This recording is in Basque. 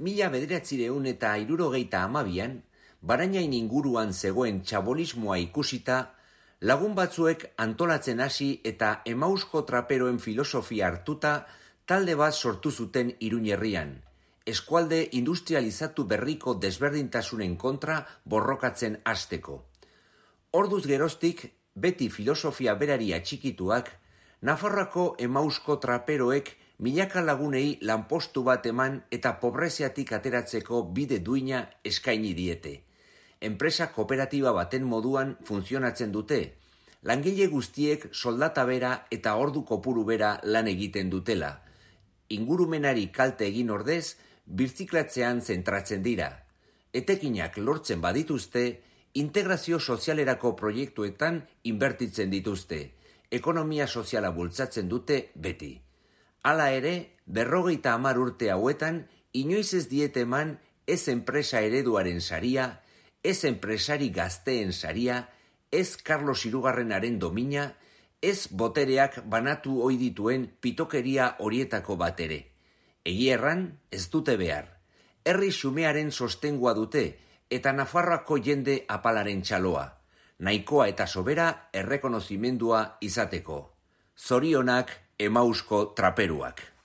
1962an, Barainain inguruan zegoen txabolismoa ikusita, lagun batzuek antolatzen hasi eta emausko traperoen filosofia hartuta talde bat sortu zuten Iruñe herrian, eskualde industrializatu berriko desberdintasunen kontra borrokatzen hasteko. Orduz geroztik, beti filosofia berari atxikituak, Nafarroako emausko traperoek milaka lagunei lanpostu bat eman eta pobreziatik ateratzeko bide duina eskaini diete. Enpresa kooperatiba baten moduan funtzionatzen dute, langile guztiek soldata bera eta ordu kopuru bera lan egiten dutela. Ingurumenari kalte egin ordez, birziklatzean zentratzen dira. Etekinak lortzen badituzte, integrazio sozialerako proiektuetan inbertitzen dituzte. Ekonomia soziala bultzatzen dute beti. Hala ere, 50 urte hauetan, inoiz ez diete eman ez enpresa ereduaren saria, ez enpresari gazteen saria, ez Carlos Hirugarrenaren domina, ez botereak banatu ohi dituen pitokeria horietako bat ere. Egia erran, ez dute behar. Herri xumearen sostengua dute eta Nafarroako jende apalaren txaloa. Nahikoa eta sobera errekonozimendua izateko. Zorionak emausko traperuak.